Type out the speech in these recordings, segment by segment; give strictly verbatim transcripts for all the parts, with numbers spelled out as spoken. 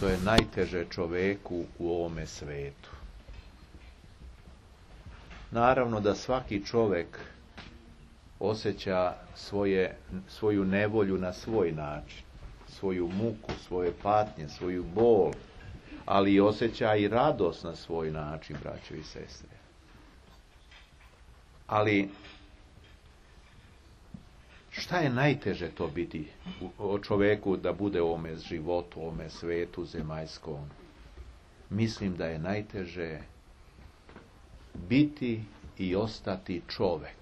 što je najteže čoveku u ovome svetu. Naravno da svaki čovjek osjeća svoje, svoju nevolju na svoj način, svoju muku, svoje patnje, svoju bol, ali osjeća i radost na svoj način, braćo i sestre. Ali šta je najteže to biti o čovjeku da bude u ovome životu, u ovome svetu zemaljskom? Mislim da je najteže biti i ostati čovjek.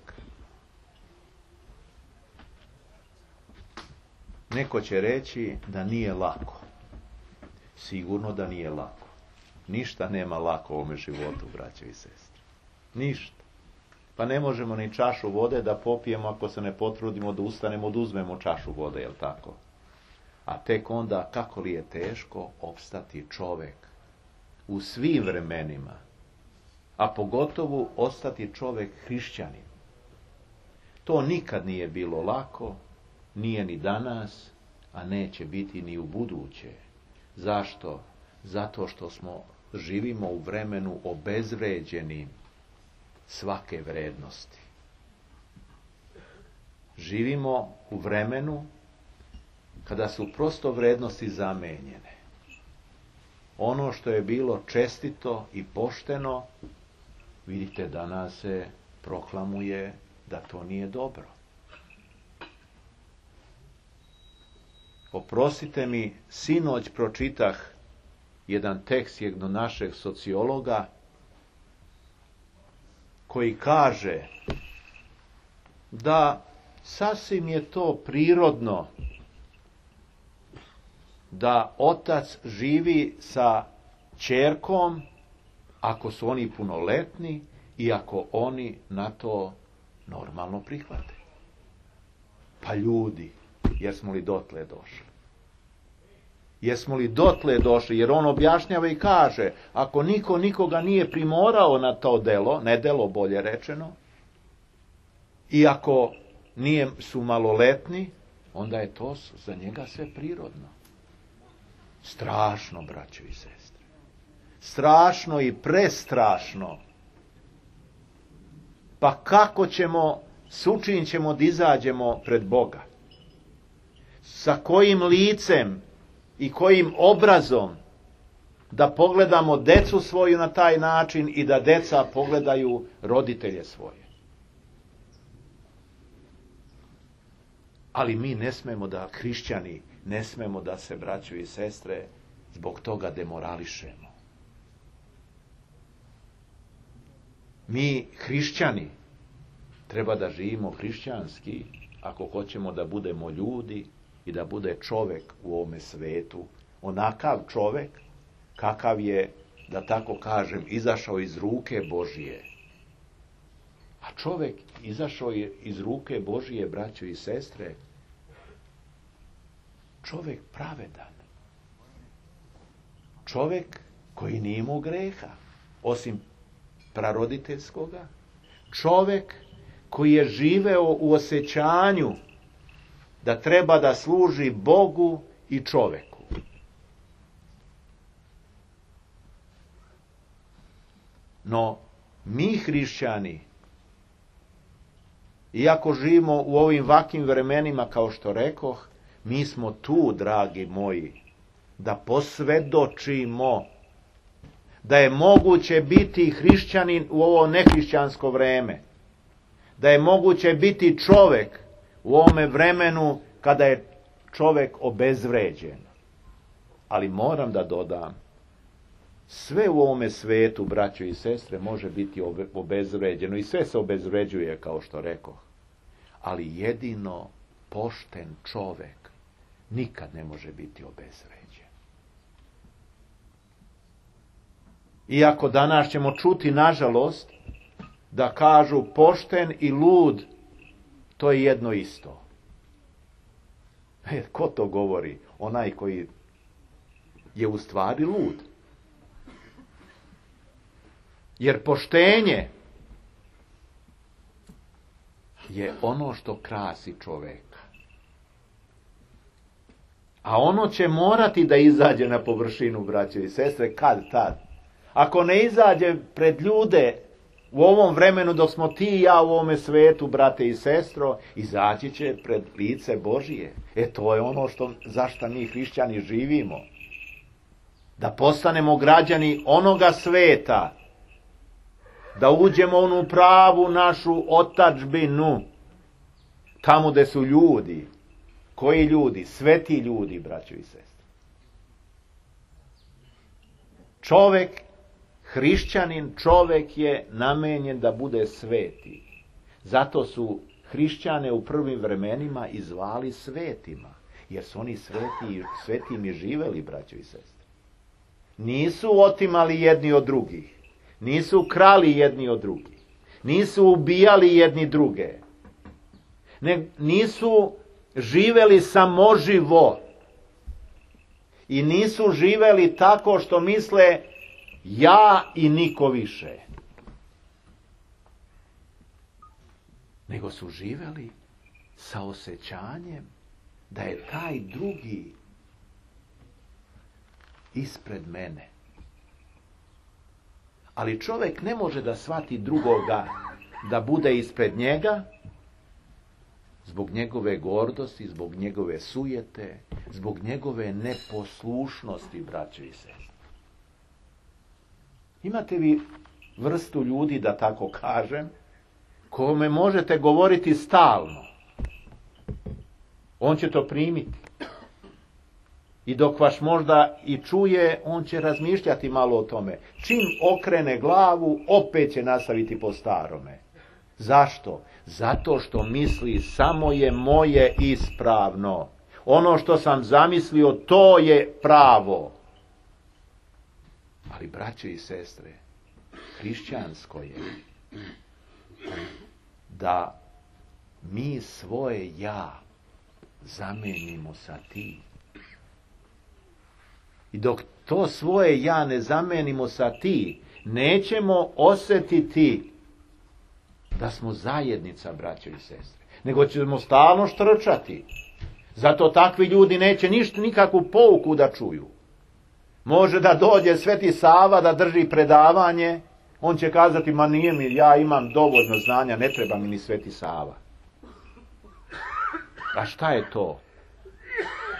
Neko će reći da nije lako. Sigurno da nije lako. Ništa nema lako u ovome životu, braćo i sestre. Ništa. Pa ne možemo ni čašu vode da popijemo ako se ne potrudimo da ustanemo, da uzmemo čašu vode, jel tako? A tek onda kako li je teško opstati čovjek u svim vremenima, a pogotovo ostati čovjek hrišćanin. To nikad nije bilo lako, nije ni danas, a neće biti ni u buduće. Zašto? Zato što smo živimo u vremenu obezvređenim svake vrednosti. Živimo u vremenu kada su prosto vrednosti zamenjene. Ono što je bilo čestito i pošteno, vidite, danas se proklamuje da to nije dobro. Oprostite mi, sinoć pročitah jedan tekst jednog našeg sociologa koji kaže da sasvim je to prirodno da otac živi sa ćerkom ako su oni punoletni i ako oni na to normalno prihvate. Pa ljudi, jesmo li dotle došli? Jesmo li dotle došli? Jer on objašnjava i kaže, ako niko nikoga nije primorao na to delo, ne delo bolje rečeno, i ako nije, su maloletni, onda je to za njega sve prirodno. Strašno, braćo i sestre. Strašno i prestrašno. Pa kako ćemo, s čim ćemo da izađemo pred Boga? Sa kojim licem i kojim obrazom da pogledamo decu svoju na taj način i da deca pogledaju roditelje svoje? Ali mi ne smemo da, hrišćani, ne smemo da se, braćo i sestre, zbog toga demorališemo. Mi, hrišćani, treba da živimo hrišćanski ako hoćemo da budemo ljudi i da bude čovjek u ovome svetu. Onakav čovjek kakav je, da tako kažem, izašao iz ruke Božije. A čovjek izašao je iz ruke Božije, braćo i sestre, čovjek pravedan. Čovjek koji nije imao greha, osim praroditeljskoga. Čovjek koji je živeo u osjećanju da treba da služi Bogu i čovjeku. No, mi hrišćani, iako živimo u ovim vakim vremenima, kao što rekoh, mi smo tu, dragi moji, da posvjedočimo da je moguće biti hrišćanin u ovo nehrišćansko vreme. Da je moguće biti čovjek u ovome vremenu kada je čovjek obezvređen. Ali moram da dodam, sve u ovome svetu, braćo i sestre, može biti obezvređeno i sve se obezvređuje, kao što rekoh. Ali jedino pošten čovjek nikad ne može biti obezvređen. Iako danas ćemo čuti, nažalost, da kažu pošten i lud, to je jedno isto. E, ko to govori? Onaj koji je u stvari lud. Jer poštenje je ono što krasi čovjeka. A ono će morati da izađe na površinu, braće i sestre, kad tad. Ako ne izađe pred ljude u ovom vremenu dok smo ti i ja u ovome svetu, brate i sestro, izaći će pred lice Božije. E to je ono što, zašto mi hrišćani živimo. Da postanemo građani onoga sveta, da uđemo u onu pravu našu otadžbinu, tamo gde su ljudi. Koji ljudi? Sveti ljudi, braćo i sestre. Čovek, hrišćanin, čovek je namenjen da bude sveti. Zato su hrišćane u prvim vremenima i zvali svetima, jer su oni sveti, svetim i živeli, braćo i sestre. Nisu otimali jedni od drugih, nisu krali jedni od drugih, nisu ubijali jedni druge, ne, nisu živeli samoživo i nisu živeli tako što misle ja i niko više. Nego su živeli sa osjećanjem da je taj drugi ispred mene. Ali čovjek ne može da shvati drugoga da bude ispred njega zbog njegove gordosti, zbog njegove sujete, zbog njegove neposlušnosti, braćo i sestre. Imate vi vrstu ljudi, da tako kažem, kome možete govoriti stalno. On će to primiti. I dok vas možda i čuje, on će razmišljati malo o tome. Čim okrene glavu, opet će nastaviti po starome. Zašto? Zato što misli samo je moje ispravno. Ono što sam zamislio, to je pravo. Ali, braće i sestre, hrišćansko je da mi svoje ja zamenimo sa ti. I dok to svoje ja ne zamenimo sa ti, nećemo osjetiti da smo zajednica, braćo i sestre. Nego ćemo stalno štrčati. Zato takvi ljudi neće ništa, nikakvu pouku da čuju. Može da dođe Sveti Sava da drži predavanje, on će kazati, ma nije mi, ja imam dovoljno znanja, ne treba mi ni Sveti Sava. A šta je to?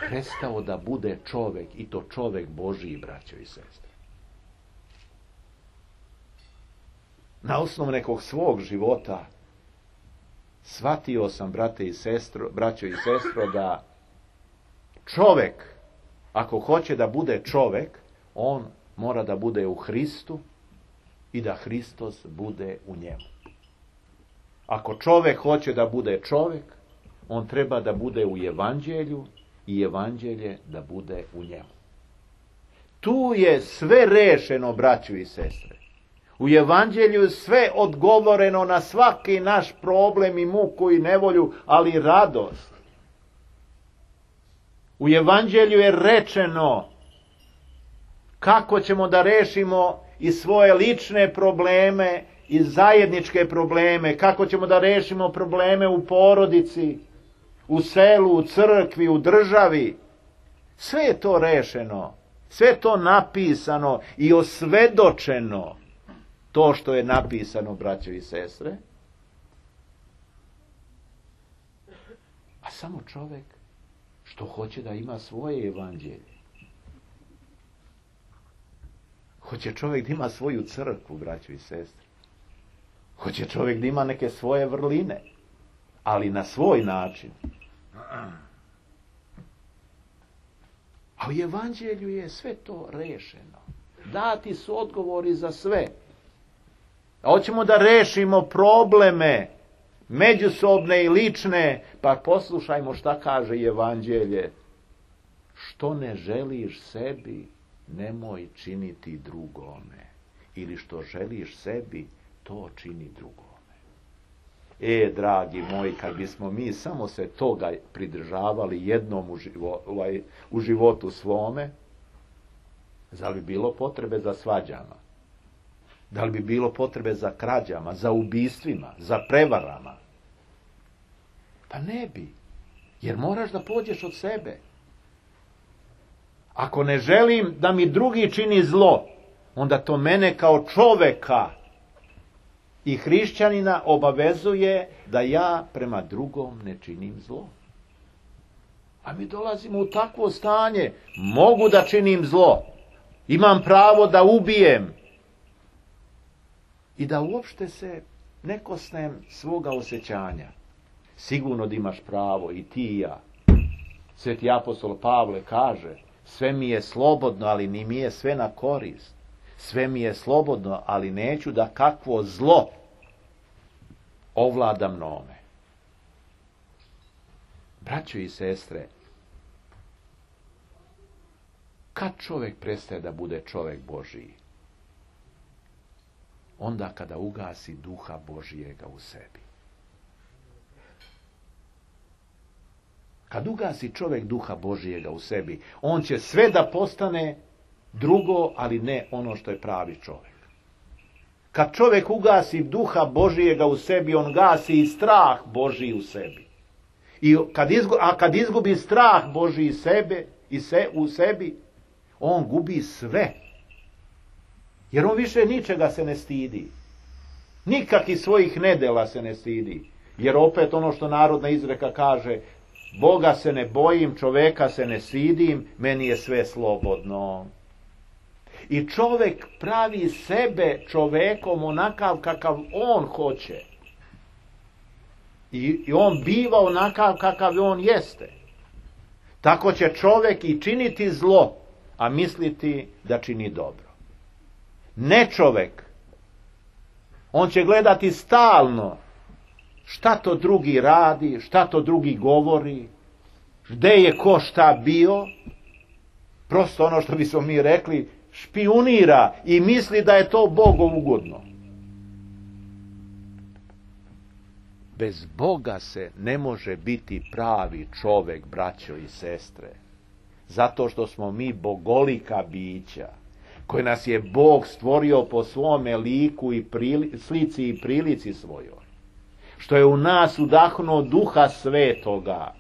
Prestao da bude čovek, i to čovek Božiji, braćo i sestre. Na osnovu nekog svog života shvatio sam, brate i sestro, braćo i sestro, da čovek, ako hoće da bude čovek, on mora da bude u Hristu i da Hristos bude u njemu. Ako čovek hoće da bude čovek, on treba da bude u Evanđelju i Evanđelje da bude u njemu. Tu je sve rešeno, braćo i sestre. U Evanđelju je sve odgovoreno na svaki naš problem i muku i nevolju, ali radost. U Evanđelju je rečeno kako ćemo da rešimo i svoje lične probleme i zajedničke probleme, kako ćemo da rešimo probleme u porodici, u selu, u crkvi, u državi. Sve je to rešeno, sve je to napisano i osvedočeno. To što je napisano, braćo i sestre. A samo čovjek što hoće da ima svoje evanđelje. Hoće čovjek da ima svoju crkvu, braćo i sestre. Hoće čovjek da ima neke svoje vrline, ali na svoj način. A u evanđelju je sve to rešeno. Dati su odgovori za sve. A hoćemo da rešimo probleme međusobne i lične, pa poslušajmo šta kaže evanđelje. Što ne želiš sebi, nemoj činiti drugome. Ili što želiš sebi, to čini drugome. E, dragi moji, kad bismo mi samo se toga pridržavali jednom u, živo, ovaj, u životu svome, zar bi bilo potrebe za svađama? Da li bi bilo potrebe za krađama, za ubistvima, za prevarama? Pa ne bi. Jer moraš da pođeš od sebe. Ako ne želim da mi drugi čini zlo, onda to mene kao čoveka i hrišćanina obavezuje da ja prema drugom ne činim zlo. A mi dolazimo u takvo stanje, mogu da činim zlo, imam pravo da ubijem i da uopšte se ne kosnem svoga osjećanja. Sigurno da imaš pravo i ti i ja. Sveti apostol Pavle kaže, sve mi je slobodno, ali ni mi je sve na korist. Sve mi je slobodno, ali neću da kakvo zlo ovlada mnome. Braćo i sestre, kad čovjek prestaje da bude čovjek Božiji? Onda kada ugasi duha Božijega u sebi. Kad ugasi čovjek duha Božijega u sebi, on će sve da postane drugo, ali ne ono što je pravi čovjek. Kad čovjek ugasi duha Božijega u sebi, on gasi i strah Božiji u sebi. I kad izgubi, a kad izgubi strah Božiji sebe, i se, u sebi, on gubi sve. Jer on više ničega se ne stidi. Nikakih svojih nedela se ne stidi. Jer opet ono što narodna izreka kaže, Boga se ne bojim, čoveka se ne stidim, meni je sve slobodno. I čovjek pravi sebe čovekom onakav kakav on hoće. I, i on biva onakav kakav on jeste. Tako će čovjek i činiti zlo, a misliti da čini dobro. Ne čovjek. On će gledati stalno šta to drugi radi, šta to drugi govori, gde je ko šta bio. Prosto ono što bismo mi rekli, špijunira i misli da je to Bogom ugodno. Bez Boga se ne može biti pravi čovjek, braćo i sestre. Zato što smo mi bogolika bića, koje nas je Bog stvorio po svome liku i prili, slici i prilici svojoj. Što je u nas udahnuo duha svetoga.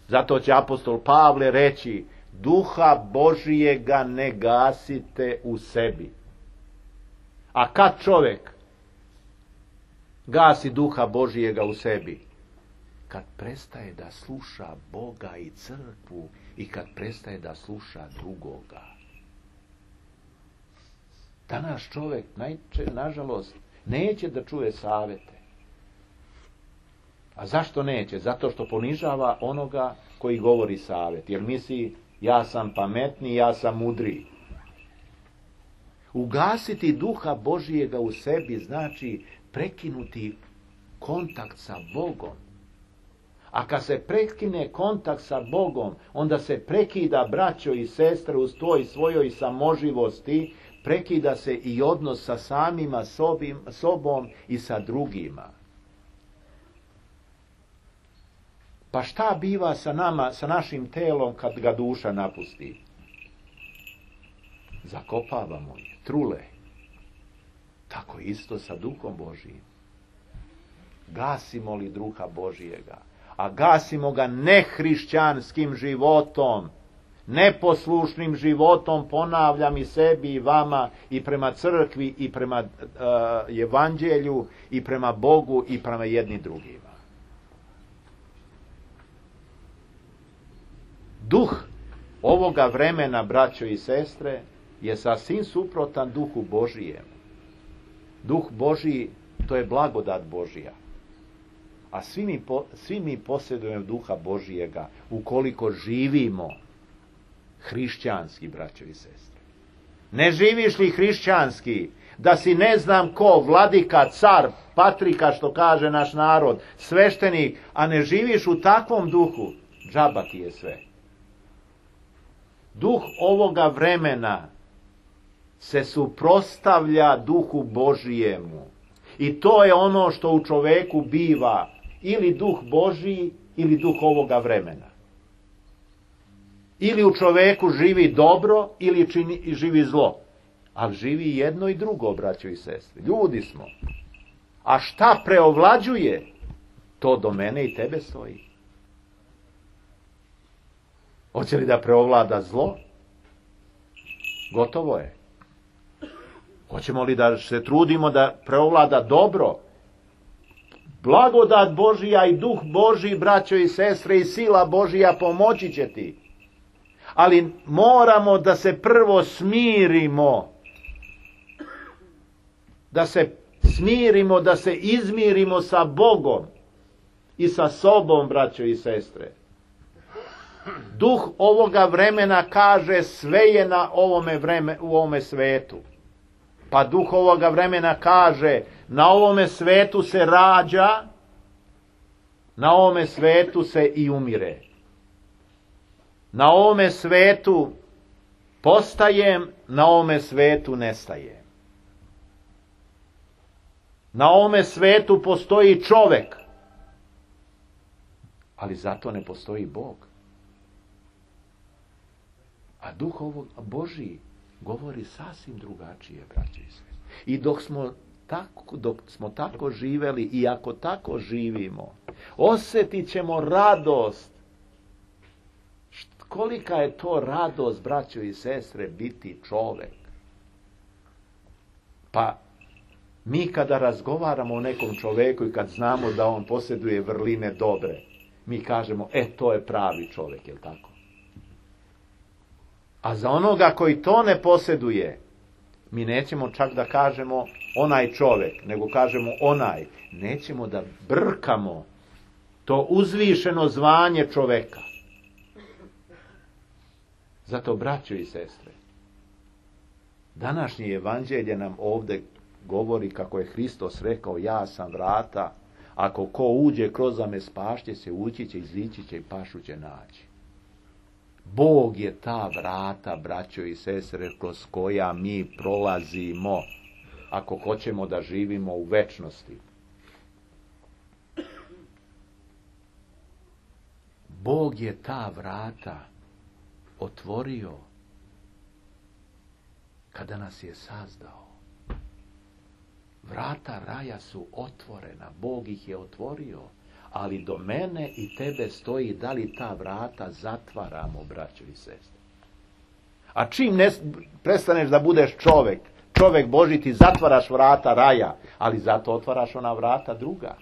Zato će apostol Pavle reći, duha Božijega ne gasite u sebi. A kad čovjek gasi duha Božijega u sebi? Kad prestaje da sluša Boga i crkvu i kad prestaje da sluša drugoga. Danas čovjek, najče, nažalost, neće da čuje savjete. A zašto neće? Zato što ponižava onoga koji govori savjet. Jer misli, ja sam pametniji, ja sam mudriji. Ugasiti duha Božijega u sebi znači prekinuti kontakt sa Bogom. A kad se prekine kontakt sa Bogom, onda se prekida, braćo i sestre, uz toj svojoj samoživosti, prekida se i odnos sa samima sobim, sobom i sa drugima. Pa šta biva sa nama, sa našim telom kad ga duša napusti? Zakopavamo je, trule. Tako isto sa duhom Božijim. Gasimo li duha Božijega? A gasimo ga nehrišćanskim životom, neposlušnim životom, ponavljam i sebi i vama, i prema crkvi, i prema uh, evanđelju, i prema Bogu, i prema jedni drugima. Duh ovoga vremena, braćo i sestre, je sasvim suprotan duhu Božijem. Duh Božiji, to je blagodat Božija. A svi mi, po, svi mi posjedujemo duha Božijega ukoliko živimo hrišćanski, braćo i sestre. Ne živiš li hrišćanski, da si ne znam ko, vladika, car, patrika, što kaže naš narod, sveštenik, a ne živiš u takvom duhu, džaba ti je sve. Duh ovoga vremena se suprotstavlja duhu Božijemu. I to je ono što u čoveku biva, ili duh Božiji, ili duh ovoga vremena. Ili u čoveku živi dobro, ili čini, živi zlo. Ali živi jedno i drugo, braćo i sestre. Ljudi smo. A šta preovlađuje, to do mene i tebe stoji. Hoće li da preovlada zlo? Gotovo je. Hoćemo li da se trudimo da preovlada dobro? Blagodat Božija i duh Božji, braćo i sestre, i sila Božija pomoći će ti. Ali moramo da se prvo smirimo. Da se smirimo, da se izmirimo sa Bogom i sa sobom, braćo i sestre. Duh ovoga vremena kaže sve je na ovome vreme, u ovome svetu. Pa duh ovoga vremena kaže na ovome svetu se rađa, na ovome svetu se i umire. Na ovome svetu postajem, na ovome svetu nestajem. Na ovome svetu postoji čovek, ali zato ne postoji Bog. A duh ovog Božji govori sasvim drugačije, braće i sestre. I dok smo tako, dok smo tako živeli i ako tako živimo, osjetit ćemo radost. Kolika je to radost, braćo i sestre, biti čovek. Pa mi kada razgovaramo o nekom čoveku i kad znamo da on posjeduje vrline dobre, mi kažemo, e, to je pravi čovek, je li tako? A za onoga koji to ne posjeduje, mi nećemo čak da kažemo onaj čovek, nego kažemo onaj. Nećemo da brkamo to uzvišeno zvanje čoveka. Zato, braćo i sestre, današnje evanđelje nam ovdje govori kako je Hristos rekao, ja sam vrata, ako ko uđe kroz me spašće se, ući će, izići će i pašu će naći. Bog je ta vrata, braćo i sestre, kroz koja mi prolazimo, ako hoćemo da živimo u večnosti. Bog je ta vrata otvorio kada nas je sazdao. Vrata raja su otvorena, Bog ih je otvorio, ali do mene i tebe stoji da li ta vrata zatvaramo, braćo i sestre. A čim ne prestaneš da budeš čovek, čovek Božji, ti zatvaraš vrata raja, ali zato otvaraš ona vrata druga.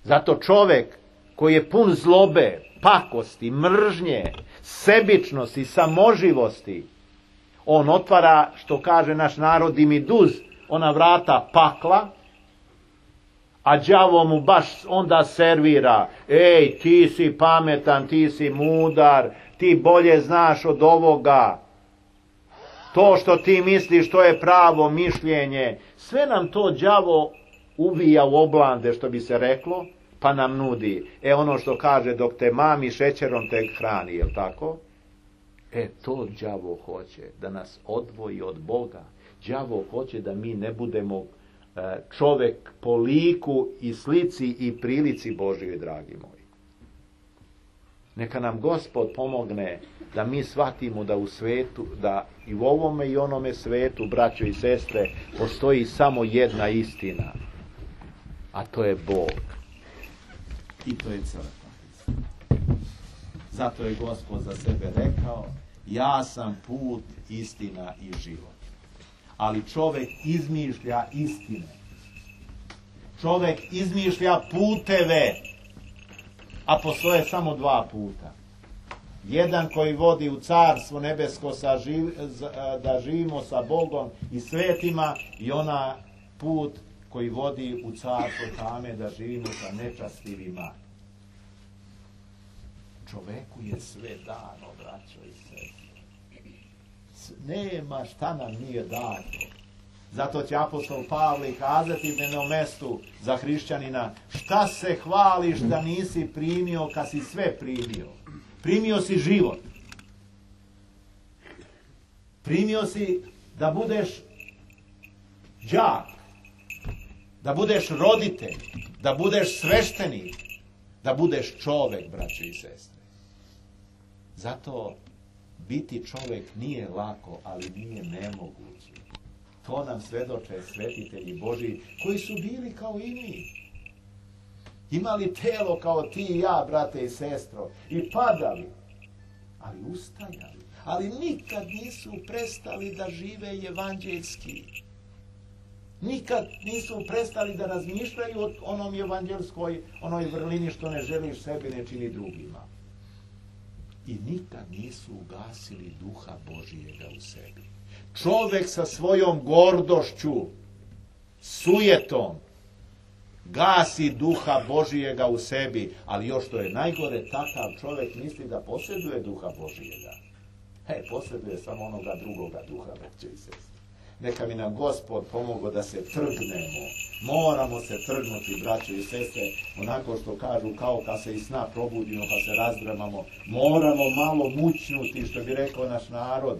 Zato čovek koji je pun zlobe, pakosti, mržnje, sebičnosti, samoživosti, on otvara, što kaže naš narod, dimiduz, ona vrata pakla, a đavo mu baš onda servira, ej, ti si pametan, ti si mudar, ti bolje znaš od ovoga, to što ti misliš, to je pravo mišljenje, sve nam to đavo uvija u oblande, što bi se reklo, pa nam nudi. E, ono što kaže, dok te mami šećerom te hrani, jel tako? E, to đavo hoće, da nas odvoji od Boga. Đavo hoće da mi ne budemo čovek po liku i slici i prilici Božjoj, dragi moji. Neka nam Gospod pomogne da mi shvatimo da u svetu, da i u ovome i onome svetu, braćo i sestre, postoji samo jedna istina, a to je Bog. I to je crkva. Zato je Gospod za sebe rekao, ja sam put, istina i život. Ali čovjek izmišlja istine. Čovjek izmišlja puteve, a postoje samo dva puta. Jedan koji vodi u carstvo nebesko sa živ, da živimo sa Bogom i svetima, i ona put koji vodi u carstvo tame da živimo sa nečastivima. Čoveku je sve dano, braćo i sestre. Nema šta nam nije dato. Zato će apostol Pavle kazati na jednom mestu za hrišćanina, šta se hvališ da nisi primio kad si sve primio? Primio si život. Primio si da budeš đak, da budeš roditelj, da budeš sveštenik, da budeš čovek, braćo i sestre. Zato biti čovek nije lako, ali nije nemoguće. To nam svedoče svetitelji Božji, koji su bili kao i mi. Imali telo kao ti i ja, brate i sestro, i padali. ali ustajali. Ali nikad nisu prestali da žive evanđeljski. Nikad nisu prestali da razmišljaju o onom evanđelskoj, onoj vrlini što ne želiš sebi, ne čini drugima. I nikad nisu ugasili duha Božijega u sebi. Čovjek sa svojom gordošću, sujetom, gasi duha Božijega u sebi, ali još što je najgore, takav čovjek misli da posjeduje duha Božijega. He, posjeduje samo onoga drugoga duha, braćo i sestre. Neka mi nam Gospod pomogao da se trgnemo. Moramo se trgnuti, braćo i sestre, onako što kažu, kao kad se iz sna probudimo pa se razdremamo. Moramo malo mućnuti, što bi rekao naš narod,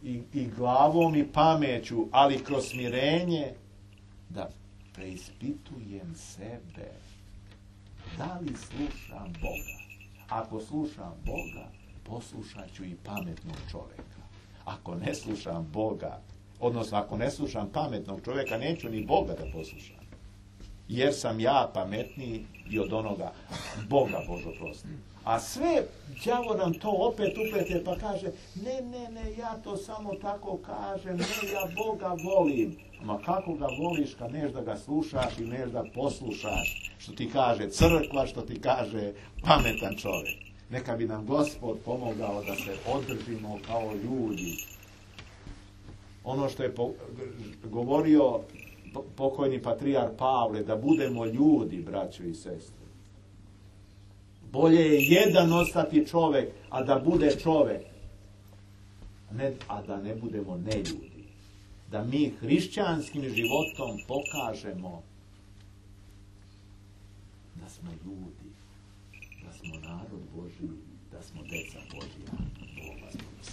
i, i glavom i pameću, ali kroz smirenje, da preispitujem sebe. Da li slušam Boga? Ako slušam Boga, poslušat ću i pametnog čovjeka. Ako ne slušam Boga, odnosno ako ne slušam pametnog čovjeka, neću ni Boga da poslušam. Jer sam ja pametniji i od onoga Boga, Božo prosti. A sve, đavo nam to opet uplete pa kaže, ne, ne, ne, ja to samo tako kažem, ne, ja Boga volim. Ma kako ga voliš kad neš da ga slušaš i neš da poslušaš, što ti kaže crkva, što ti kaže pametan čovjek. Neka bi nam Gospod pomogao da se održimo kao ljudi. Ono što je po, govorio pokojni patrijarh Pavle, da budemo ljudi, braćo i sestre. Bolje je jedan ostati čovjek, a da bude čovjek, ne, a da ne budemo neljudi. Da mi hrišćanskim životom pokažemo da smo ljudi, da smo narod Božji, da smo deca Božja.